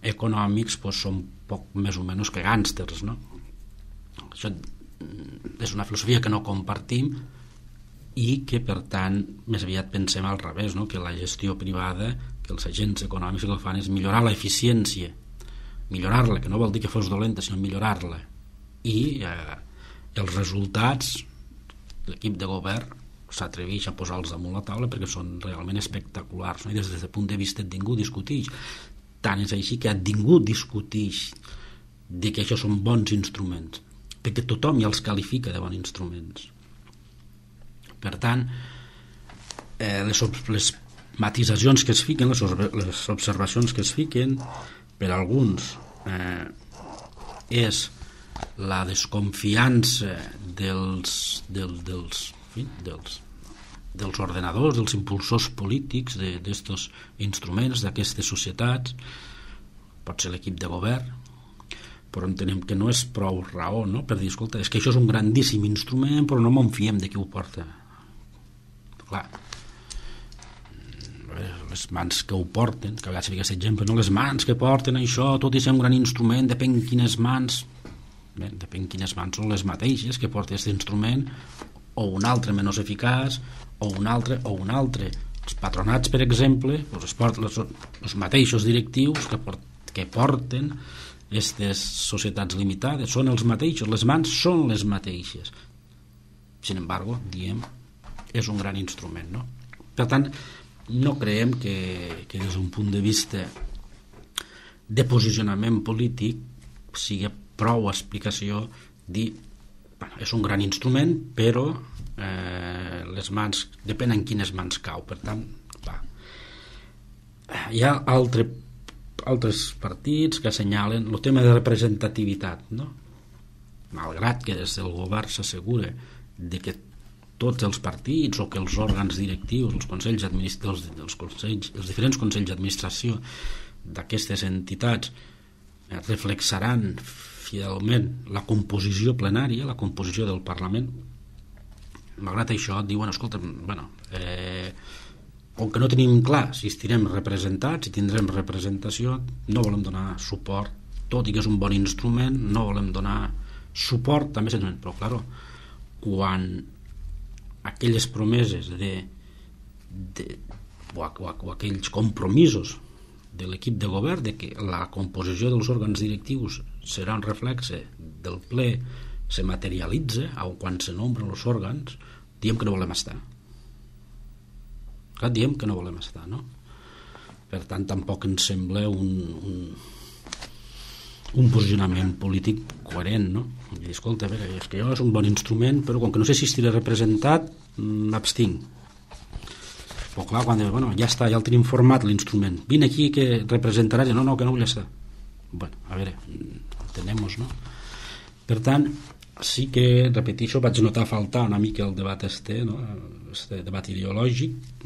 econòmics pues, són poc més o menys que gàngsters, no? Això és una filosofia que no compartim, i que per tant més aviat pensem al revés, no? Que la gestió privada, que els agents econòmics el que fan és millorar l'eficiència, millorar-la, que no vol dir que fos dolenta, sinó millorar-la, i eh, els resultats l'equip de govern s'atreveix a posar-los damunt la taula perquè són realment espectaculars, no? I des del punt de vista ningú discuteix, tant és així que ningú discuteix de que això són bons instruments, perquè tothom ja els qualifica de bons instruments. Per tant, eh, les, les matisacions que es fiquen, les, les observacions que es fiquen per alguns eh, és la desconfiança dels, del, dels, en fi, dels, dels ordenadors, dels impulsors polítics d'aquests instruments, d'aquestes societats, pot ser l'equip de govern, però entenem que no és prou raó, no? Per dir, escolta, és que això és un grandíssim instrument, però no m'en fiem de qui ho porta. Clar, les mans que ho porten, que a vegades fica aquest exemple, no? Les mans que porten això, tot i ser un gran instrument, depèn quines mans, bé, depèn quines mans són les mateixes que porten aquest instrument, o un altre menys eficaç, o un altre, o un altre. Els patronats, per exemple, doncs es porten els, els mateixos directius que, port, que porten aquestes societats limitades, són els mateixos, les mans són les mateixes. Sin embargo, diem, és un gran instrument, no? Per tant, no creiem que, que des d'un punt de vista de posicionament polític sigui prou explicació dir, bueno, és un gran instrument, però eh, les mans, depèn en quines mans cau. Per tant, va. Hi ha altre, altres partits que assenyalen el tema de representativitat, no? Malgrat que des del govern s'assegura de que tots els partits o que els òrgans directius, els consells administratius, els, consells, els diferents consells d'administració d'aquestes entitats eh, reflexaran fidelment la composició plenària, la composició del Parlament. Malgrat això diuen, escolta, bueno, eh, com que no tenim clar si estirem representats, si tindrem representació, no volem donar suport, tot i que és un bon instrument, no volem donar suport també, però claro, quan aquelles promeses de, de o, o, o aquells compromisos de l'equip de govern de que la composició dels òrgans directius serà un reflexe del ple se materialitza o quan se nombren els òrgans, diem que no volem estar. Clar, diem que no volem estar, no? Per tant, tampoc ens sembla un, un, un posicionament polític coherent, no? I dir, escolta, a veure, és que jo és un bon instrument, però com que no sé si estiré representat, m'abstinc. Però clar, quan dius, bueno, ja està, ja el tenim format l'instrument, vine aquí que representaràs, no, no, que no vull estar. Bueno, a veure, entenem-nos, no? Per tant, sí que, repeteixo, vaig notar faltar una mica el debat este, no? Este debat ideològic,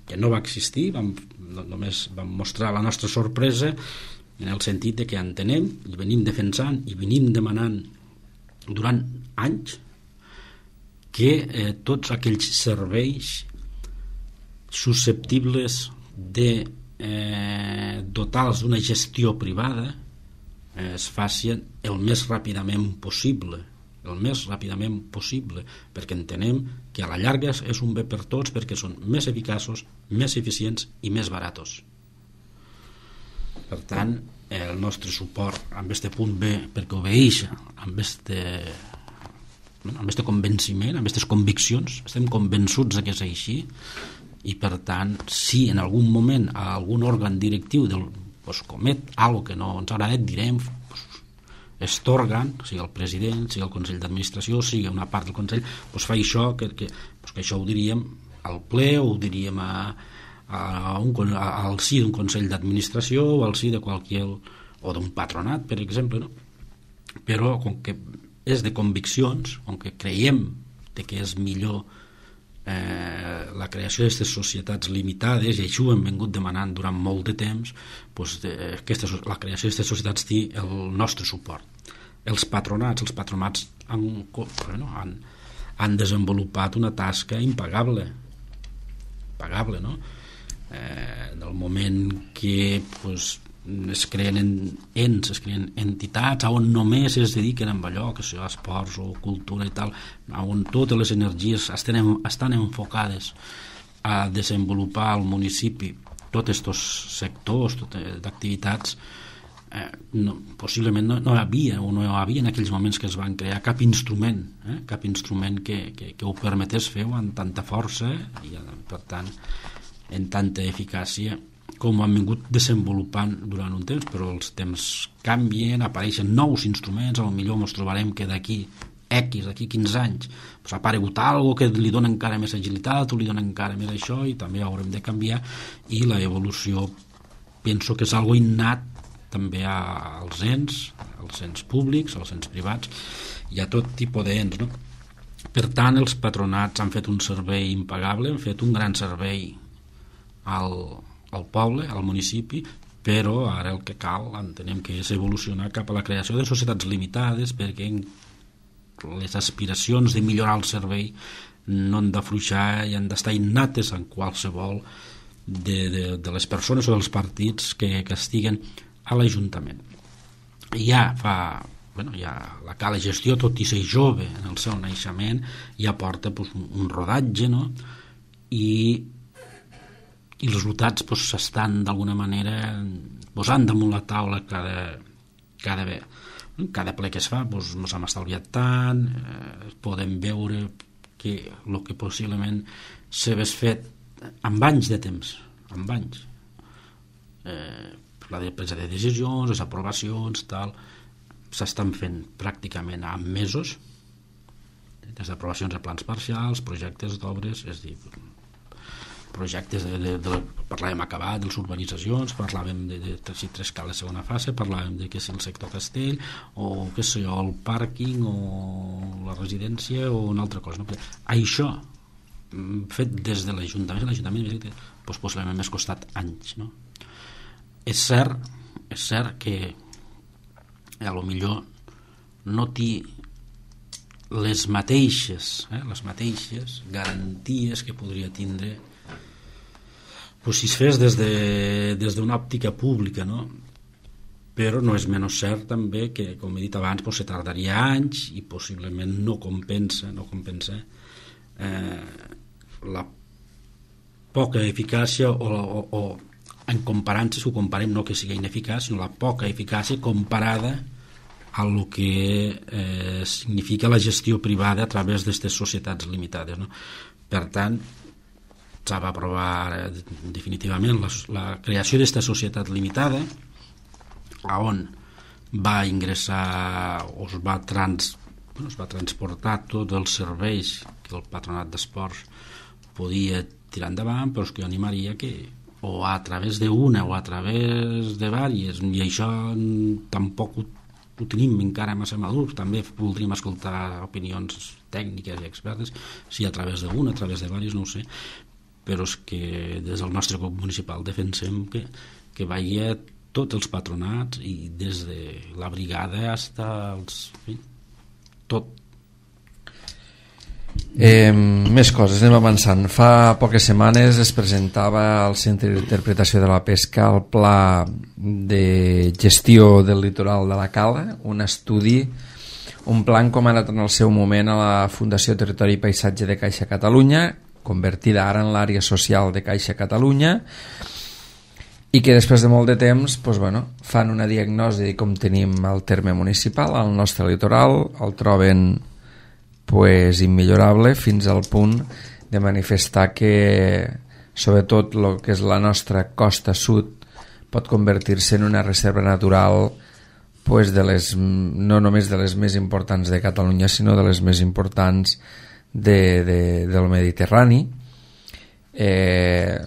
que no va existir, vam, no, només vam mostrar la nostra sorpresa en el sentit de que entenem i venim defensant i venim demanant durant anys que eh, tots aquells serveis susceptibles de eh, dotar-los d'una gestió privada eh, es facin el més ràpidament possible el més ràpidament possible perquè entenem que a la llarga és un bé per tots perquè són més eficaços, més eficients i més baratos. Per tant, el nostre suport amb este punt B perquè obeeix amb este, amb este convenciment, amb aquestes conviccions, estem convençuts que és així i per tant, si en algun moment algun òrgan directiu del, pues, comet algo que no ens agrada, direm pues, aquest òrgan, sigui el president, sigui el Consell d'Administració, sigui una part del Consell, pues, fa això, que, que, pues, que això ho diríem al ple o ho diríem a, a un, a, al si d'un Consell d'Administració o al si de qualsevol, o d'un patronat, per exemple, no? Però com que és de conviccions, com que creiem de que és millor eh, la creació d'aquestes societats limitades, i això ho hem vingut demanant durant molt de temps, doncs, eh, aquesta, la creació d'aquestes societats té el nostre suport. Els patronats, els patronats han, bueno, han, han desenvolupat una tasca impagable, impagable, no? Eh, en el moment que pues, es creen ens, es creen entitats on només es dediquen a allò, que sigui esports o cultura i tal, on totes les energies estan, estan enfocades a desenvolupar al municipi tots aquests sectors d'activitats, eh, no, possiblement no, no hi havia o no hi havia en aquells moments que es van crear cap instrument, eh, cap instrument que, que, que ho permetés fer amb tanta força i per tant en tanta eficàcia com ho han vingut desenvolupant durant un temps, però els temps canvien, apareixen nous instruments, potser ens trobarem que d'aquí X, d'aquí quinze anys, pues, ha aparegut algo que li dona encara més agilitat o li dona encara més això i també haurem de canviar i la evolució penso que és algo innat també als ens, als ens públics, als ens privats i a tot tipus d'ens, no? Per tant, els patronats han fet un servei impagable, han fet un gran servei al al poble, al municipi, però ara el que cal entenem que és evolucionar cap a la creació de societats limitades perquè les aspiracions de millorar el servei no han d'afluixar i han d'estar innates en qualsevol de, de, de les persones o dels partits que, que estiguen a l'Ajuntament. Ja fa bueno, ja la cala gestió, tot i ser jove en el seu naixement, ja porta pues, un, un rodatge, no? I i els resultats pues, s'estan d'alguna manera posant damunt la taula cada, cada, cada ple que es fa pues, ens hem estalviat tant, eh, podem veure que el que possiblement s'hagués fet amb anys de temps, amb anys. Eh, la de presa de decisions, les aprovacions, tal, s'estan fent pràcticament en mesos, des d'aprovacions de plans parcials, projectes d'obres, és a dir, projectes de, de, de, parlàvem acabat de les urbanitzacions, parlàvem de, de, de si tres cales segona fase, parlàvem de que si el sector Castell o què sé jo, el pàrquing o la residència o una altra cosa, no? Això fet des de l'Ajuntament l'Ajuntament doncs, possiblement m'ha costat anys, no? És cert és cert que a lo millor no té les mateixes eh, les mateixes garanties que podria tindre pues, si es fes des de, des d'una òptica pública, no? Però no és menys cert també que, com he dit abans, pues, se tardaria anys i possiblement no compensa no compensa eh, la poca eficàcia o, o, o en comparant, si ho comparem, no que sigui ineficaç, sinó la poca eficàcia comparada a lo que eh, significa la gestió privada a través d'aquestes societats limitades, no? Per tant, s'ha d'aprovar definitivament la, la creació d'aquesta societat limitada on va ingressar o es va, trans, bueno, es va transportar tots els serveis que el Patronat d'Esports podia tirar endavant, però és que jo animaria que o a través d'una o a través de vàries, i això tampoc ho, ho tenim encara massa madur, també voldríem escoltar opinions tècniques i expertes, si a través d'una, a través de vàries, no ho sé, però és que des del nostre grup municipal defensem que, que vagi a tots els patronats i des de la brigada fins als... tot. Eh, més coses, anem avançant. Fa poques setmanes es presentava al Centre d'Interpretació de la Pesca el Pla de Gestió del Litoral de la Cala, un estudi, un pla encomanat en el seu moment a la Fundació Territori i Paisatge de Caixa Catalunya, convertida ara en l'àrea social de Caixa Catalunya, i que després de molt de temps doncs, bueno, fan una diagnosi de com tenim el terme municipal al nostre litoral, el troben pues, immillorable fins al punt de manifestar que sobretot el que és la nostra costa sud pot convertir-se en una reserva natural pues, de les, no només de les més importants de Catalunya, sinó de les més importants de, de, del Mediterrani, eh,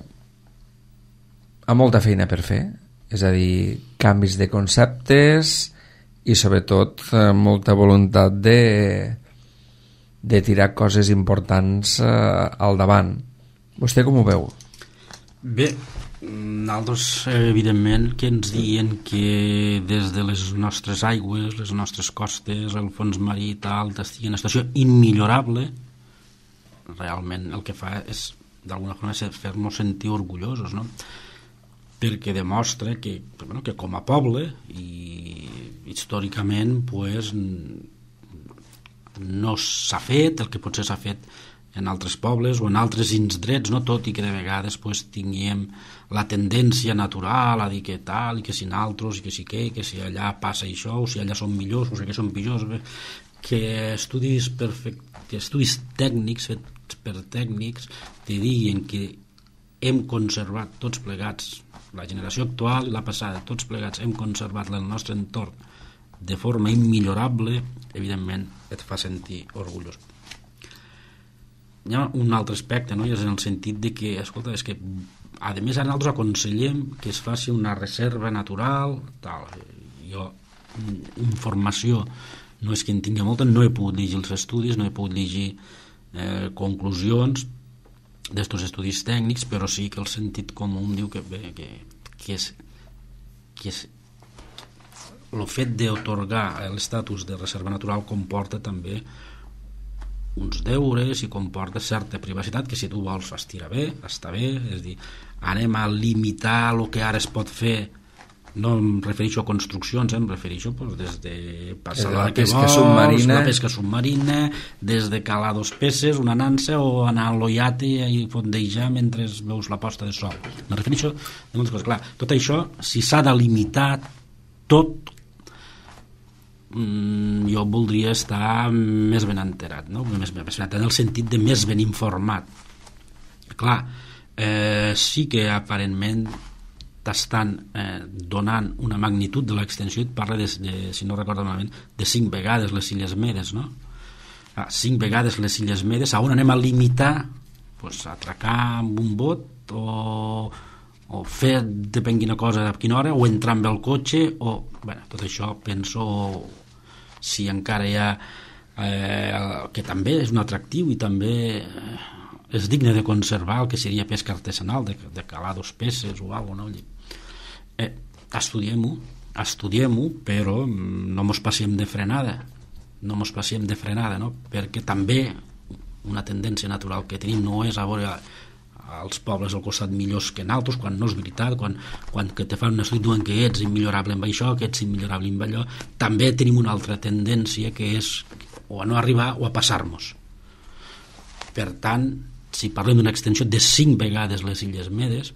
amb molta feina per fer, és a dir, canvis de conceptes i sobretot eh, molta voluntat de, de tirar coses importants eh, al davant. Vostè com ho veu? Bé, nosaltres evidentment que ens diuen que des de les nostres aigües, les nostres costes, el fons marí tal, estigui en una situació immillorable. Realment el que fa és d'alguna forma fer-nos sentir orgullosos, no? Perquè demostra que, bueno, que com a poble i històricament pues, no s'ha fet el que potser s'ha fet en altres pobles o en altres indrets, no? Tot i que de vegades pues, tinguem la tendència natural a dir que tal i que si naltros i que si què, que si allà passa això o si allà són millors o si que són pitjors, que estudis perfect, que estudis tècnics fets per tècnics te diguin que hem conservat tots plegats, la generació actual i la passada, tots plegats hem conservat el nostre entorn de forma immillorable, evidentment et fa sentir orgullós. Hi ha un altre aspecte, no? I és en el sentit de que, escolta, és que a més ara nosaltres aconsellem que es faci una reserva natural tal. Jo informació no és que en tingui molta, no he pogut llegir els estudis, no he pogut llegir eh, conclusions d'estos estudis tècnics, però sí que el sentit comú em diu que, bé, que, que és que és el fet d'atorgar l'estatus de reserva natural comporta també uns deures i comporta certa privacitat que si tu vols estirà bé, està bé, és a dir, anem a limitar el que ara es pot fer, no em refereixo a construccions, eh, em refereixo pues, des de passar la, la pesca vols, submarina, la pesca submarina, des de calar dos peces, una nansa o anar a l'oiate i fondejar mentre veus la posta de sol. Me refereixo a moltes coses. Clar, tot això, si s'ha de limitar tot, jo voldria estar més ben enterat, no? més, més ben enterat en el sentit de més ben informat. Clar, eh, sí que aparentment t'estan eh, donant una magnitud de l'extensió. Et parla de, de, si no recordo malament, de cinc vegades les Illes Medes, no? Ah, cinc vegades les Illes Medes. A on anem a limitar? Pues, atracar amb un bot o, o fer depèn quina cosa a quina hora, o entrar amb el cotxe o... Bueno, tot això penso, si encara hi ha eh, que també és un atractiu i també eh, és digne de conservar el que seria pesca artesanal, de, de calar dos peces o alguna cosa, no? Eh, estudiem-ho, estudiem-ho, però no mos passem de frenada, no mos passem de frenada, no? Perquè també una tendència natural que tenim no és a veure als pobles al costat millors que en altres, quan no és veritat, quan, quan que te fan un estudi diuen que ets immillorable amb això, que ets immillorable amb allò. També tenim una altra tendència que és o a no arribar o a passar-nos. Per tant, si parlem d'una extensió de cinc vegades les Illes Medes,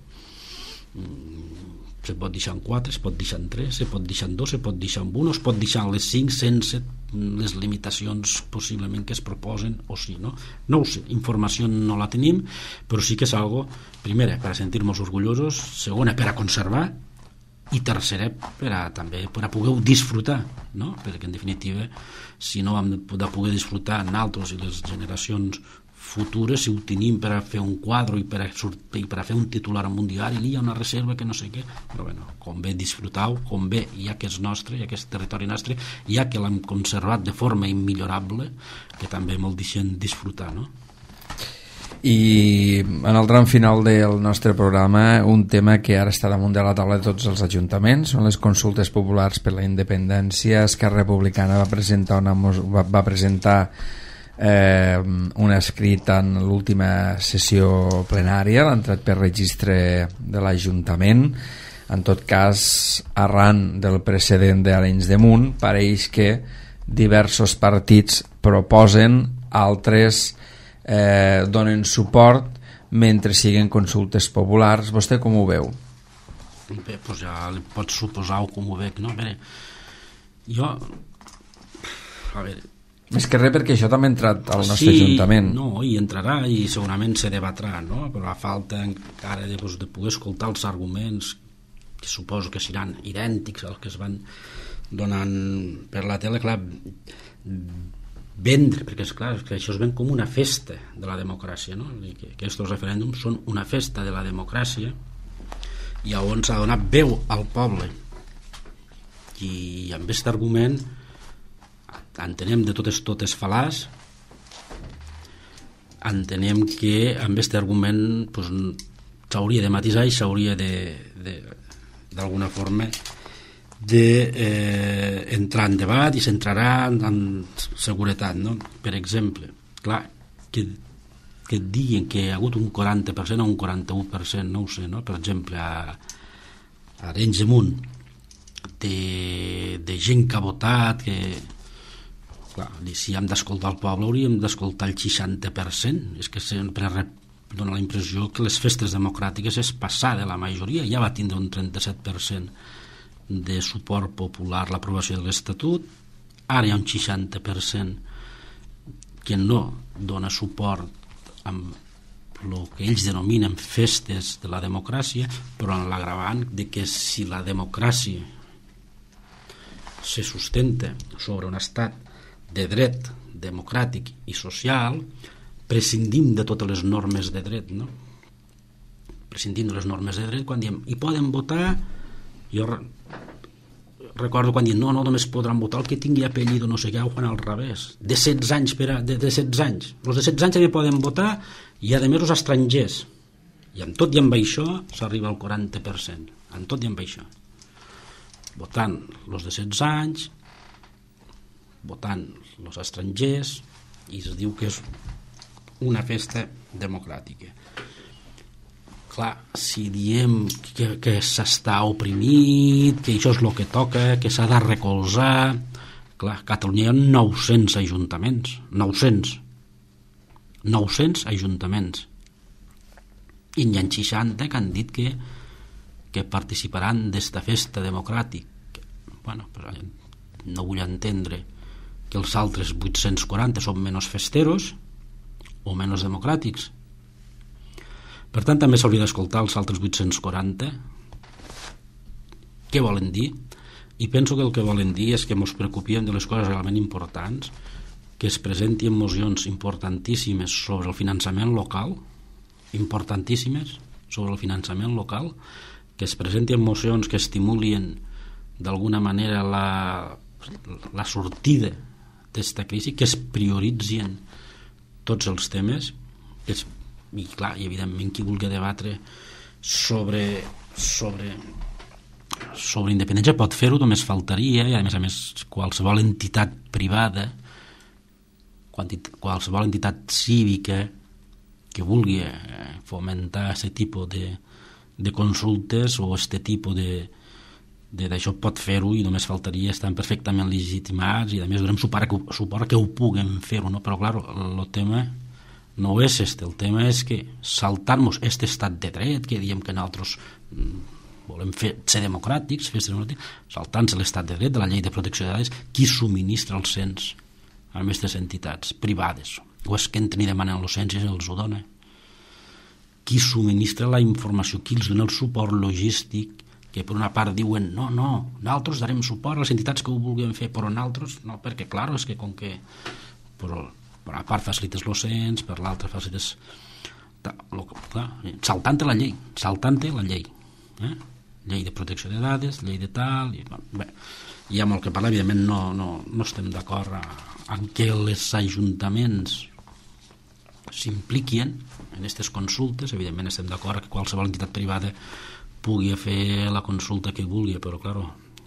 se pot deixar en quatre, se pot deixar en tres, se pot deixar en dos, se pot deixar en un, o es pot deixar en les cinc sense les limitacions possiblement que es proposen, o sí, no? No ho sé, informació no la tenim, però sí que és algo, primera, per a sentir-nos orgullosos, segona, per a conservar, i tercera, per a, també per a poder disfrutar, no? Perquè en definitiva, si no hem de poder disfrutar nosaltres i les generacions futures, si ho tenim per a fer un quadre i per a, i per a fer un titular en un diari, hi ha una reserva que no sé què, però bueno, com bé disfrutar-ho, com bé ja que és nostre, ja que és territori nostre, ja que l'hem conservat de forma immillorable, que també me'l deixen disfrutar, no? I en el tram final del nostre programa, un tema que ara està damunt de la taula de tots els ajuntaments són les consultes populars per la independència. Esquerra Republicana va presentar una, va, va presentar eh, un escrit en l'última sessió plenària, l'ha entrat per registre de l'Ajuntament. En tot cas, arran del precedent d'Arenys de Munt, pareix que diversos partits proposen, altres eh, donen suport mentre siguen consultes populars. Vostè com ho veu? Bé, doncs ja li pots suposar com ho veig, no? A veure, jo... A veure... Més que res perquè això també ha entrat al nostre sí, Ajuntament. No, i entrarà i segurament se debatrà, no? Però la falta encara de, doncs, de poder escoltar els arguments que suposo que seran idèntics als que es van donant per la tele, clar, vendre, perquè és clar, que això es ven com una festa de la democràcia, no? I que aquests referèndums són una festa de la democràcia i on s'ha donat veu al poble, i amb aquest argument entenem de totes totes fal·laç, entenem que amb aquest argument pues, s'hauria de matisar i s'hauria de, de d'alguna forma de eh, entrar en debat i s'entrarà en, en seguretat, no? Per exemple, clar, que, que et diguin que hi ha hagut un quaranta per cent o un quaranta-u per cent, no ho sé, no? Per exemple, a, a Arenys de Munt, de, de gent que ha votat, que... Clar, si hem d'escoltar el poble hauríem d'escoltar el seixanta per cent. És que sempre dona la impressió que les festes democràtiques és passar de la majoria. Ja va tindre un trenta-set per cent de suport popular l'aprovació de l'Estatut, ara hi ha un seixanta per cent que no dona suport amb el que ells denominen festes de la democràcia, però en l'agravant de que si la democràcia se sustenta sobre un estat de dret democràtic i social, prescindim de totes les normes de dret, no? Prescindim de les normes de dret quan diem, hi poden votar, jo recordo quan diuen, no, no, només podran votar el que tingui apellido, no sé què, ho fan al revés, de setze anys, per a, de, de setze anys, els de setze anys també poden votar, i a més els estrangers, i amb tot i amb això s'arriba al quaranta per cent, amb tot i amb això, votant els de setze anys, votant els estrangers, i es diu que és una festa democràtica. Clar, si diem que, que s'està oprimit, que això és el que toca, que s'ha de recolzar, clar, a Catalunya hi ha nou-cents ajuntaments, nou-cents, nou-cents ajuntaments, i n'hi ha seixanta que han dit que, que participaran d'esta festa democràtica. Bueno, però no vull entendre que els altres vuit-cents quaranta són menys festeros o menys democràtics. Per tant, també s'hauria d'escoltar els altres vuit-cents quaranta. Què volen dir? I penso que el que volen dir és que ens preocupem de les coses realment importants, que es presenten mocions importantíssimes sobre el finançament local, importantíssimes sobre el finançament local, que es presenten mocions que estimulin d'alguna manera la, la sortida d'esta crisi, que es prioritzin tots els temes, que es, i clar, i evidentment qui vulgui debatre sobre sobre sobre independència pot fer-ho, només faltaria, i a més a més qualsevol entitat privada, qualsevol entitat cívica que vulgui fomentar aquest tipus de, de consultes o aquest tipus de d'això pot fer-ho, i només faltaria, estan perfectament legitimats, i a més donem suport, suport que ho puguem fer-ho, no? Però clar, el tema no és este, el tema és que saltar-nos aquest estat de dret, que diem que nosaltres volem fer, ser democràtics, fer ser democràtics, saltant-se l'estat de dret de la llei de protecció de dades, qui subministra els cens a aquestes entitats privades? O és que entren i demanen el cens i els ho dona? Qui subministra la informació? Qui els dona el suport logístic? Que per una part diuen no, no, nosaltres darem suport a les entitats que ho vulguin fer, però nosaltres no, perquè clar, és que com que però, per una part facilites el cens, per l'altra facilites saltant la llei saltant la llei eh? Llei de protecció de dades, llei de tal i, bé, hi ha molt que parlar, evidentment no, no, no estem d'acord en què els ajuntaments s'impliquin en aquestes consultes, evidentment estem d'acord que qualsevol entitat privada pugui fer la consulta que vulgui, però clar,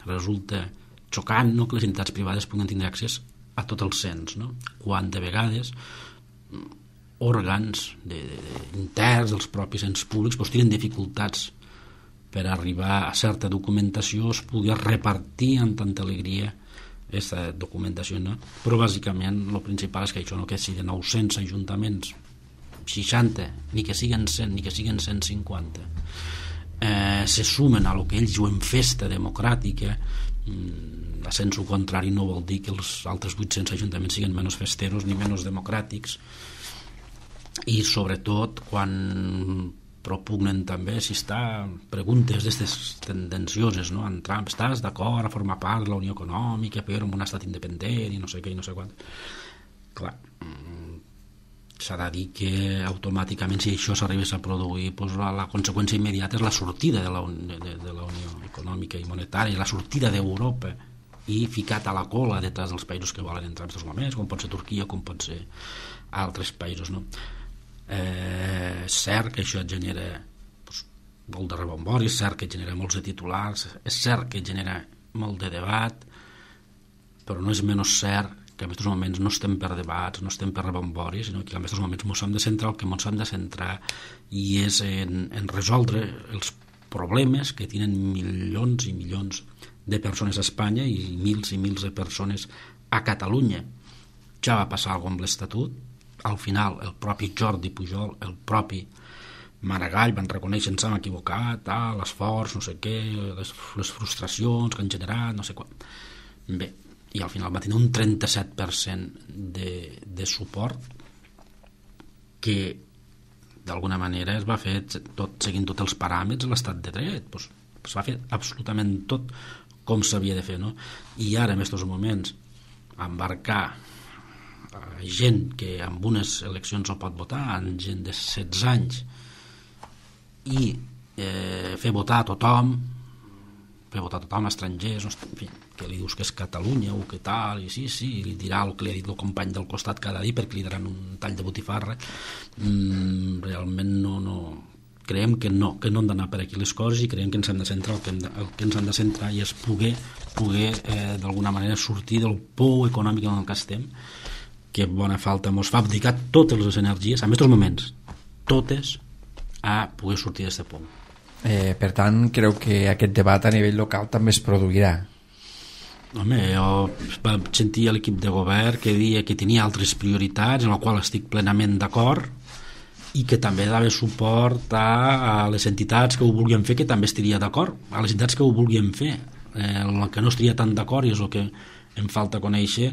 resulta xocant, no?, que les entitats privades puguin tindre accés a tot el cens, no? Quan de vegades òrgans de, de, de, interns dels propis ens públics pues, tenen dificultats per arribar a certa documentació, es pugui repartir amb tanta alegria aquesta documentació, no? Però bàsicament el principal és que això no, que si de nou-cents ajuntaments seixanta, ni que siguen cent ni que siguen cent cinquanta eh, se sumen a lo que ells diuen festa democràtica, mm, a sensu contrari no vol dir que els altres vuit-cents ajuntaments siguin menys festeros ni menys democràtics, i sobretot quan propugnen també si està preguntes d'aquestes tendencioses, no? En Trump, estàs d'acord a formar part de la Unió Econòmica però en un estat independent i no sé què i no sé quant. Clar, s'ha de dir que automàticament si això s'arribés a produir doncs la, la conseqüència immediata és la sortida de la, de, de la Unió Econòmica i Monetària, la sortida d'Europa i ficat a la cola detrás dels països que volen entrar en aquests moments, com pot ser Turquia, com pot ser altres països, no? Eh, és cert que això genera doncs, molt de rebombori, és cert que genera molts de titulars, és cert que genera molt de debat, però no és menys cert que en aquests moments no estem per debats, no estem per rebomboris, sinó que en aquests moments ens hem de centrar el que ens hem de centrar i és en, en resoldre els problemes que tenen milions i milions de persones a Espanya i mils i mils de persones a Catalunya. Ja va passar alguna cosa amb l'Estatut, al final el propi Jordi Pujol, el propi Maragall van reconèixer ens hem equivocat, ah, l'esforç, no sé què, les, les frustracions que han generat, no sé quan. Bé, i al final va tenir un trenta-set per cent de, de suport que d'alguna manera es va fer tot, seguint tots els paràmetres de l'estat de dret, pues, es va fer absolutament tot com s'havia de fer, no? I ara en aquests moments embarcar gent que en unes eleccions no pot votar, en gent de setze anys i eh, fer votar a tothom, fer votar a tothom, estrangers, en fi, que li dius que és Catalunya o que tal, i sí, sí, i li dirà el que li ha dit el company del costat cada dia perquè li daran un tall de botifarra. Mm, realment no, no, creiem que no, que no han d'anar per aquí les coses i creiem que ens hem de centrar el que, hem de, el que ens hem de centrar i és poder, poder eh, d'alguna manera sortir del pou econòmic en el que estem, que bona falta mos fa abdicar totes les energies, en aquests moments, totes, a poder sortir d'aquest pou. Eh, per tant, creu que aquest debat a nivell local també es produirà? Home, jo vaig sentir a l'equip de govern que deia que tenia altres prioritats, en la qual estic plenament d'acord, i que també dava suport a, a les entitats que ho vulguin fer, que també estaria d'acord, a les entitats que ho vulguin fer. Eh, el que no estaria tan d'acord, i és el que em falta conèixer,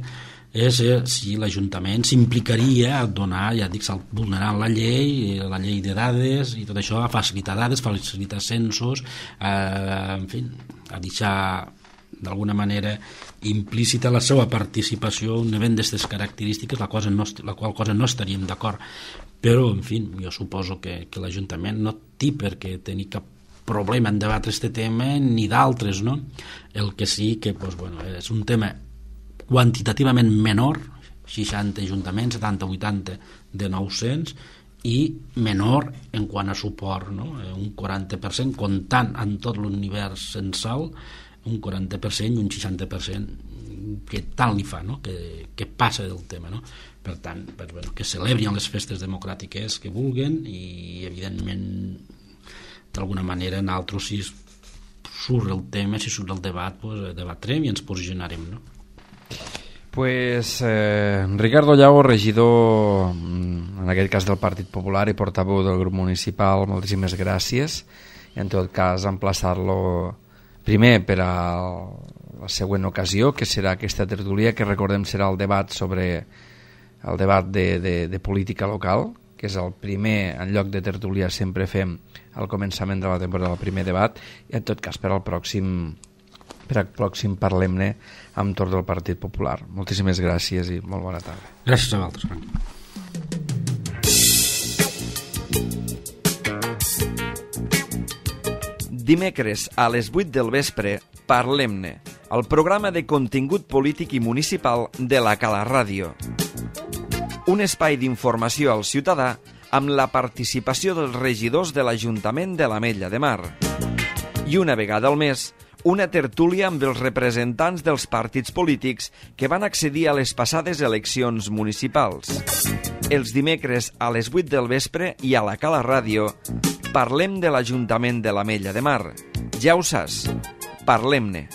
és eh, si l'Ajuntament s'implicaria a donar, ja dic, vulnerant la llei, la llei de dades i tot això, a facilitar dades, facilitar censos, eh, en fi, a deixar d'alguna manera implícita la seva participació en un event d'aquestes característiques, la, cosa no, la qual cosa no estaríem d'acord. Però, en fi, jo suposo que, que l'Ajuntament no té per què tenir cap problema en debatre aquest tema ni d'altres, no? El que sí que doncs, bueno, és un tema quantitativament menor, seixanta ajuntaments, setanta vuitanta de nou-cents, i menor en quant a suport, no? Un quaranta per cent, comptant en tot l'univers censal, un quaranta per cent i un seixanta per cent que tant li fa, no? que, que passa del tema, no? Per tant, pues, bueno, que celebrin les festes democràtiques que vulguen i evidentment d'alguna manera nosaltres, si surt el tema, si surt el debat, pues, debatrem i ens posicionarem, no? Pues eh, Ricardo Llago, regidor en aquest cas del Partit Popular i portaveu del grup municipal, moltíssimes gràcies, i en tot cas emplaçar-lo primer per a la següent ocasió, que serà aquesta tertúlia, que recordem serà el debat sobre el debat de, de, de política local, que és el primer, en lloc de tertúlia sempre fem al començament de la temporada el primer debat, i en tot cas per al pròxim per al pròxim parlem-ne amb torn del Partit Popular. Moltíssimes gràcies i molt bona tarda. Gràcies a vosaltres, Frank. Dimecres a les vuit del vespre, Parlem-ne, el programa de contingut polític i municipal de la Cala Ràdio. Un espai d'informació al ciutadà amb la participació dels regidors de l'Ajuntament de l'Ametlla de Mar. I una vegada al mes, una tertúlia amb els representants dels partits polítics que van accedir a les passades eleccions municipals. Els dimecres a les vuit del vespre i a la Cala Ràdio parlem de l'Ajuntament de l'Ametlla de Mar. Ja ho saps, parlem-ne.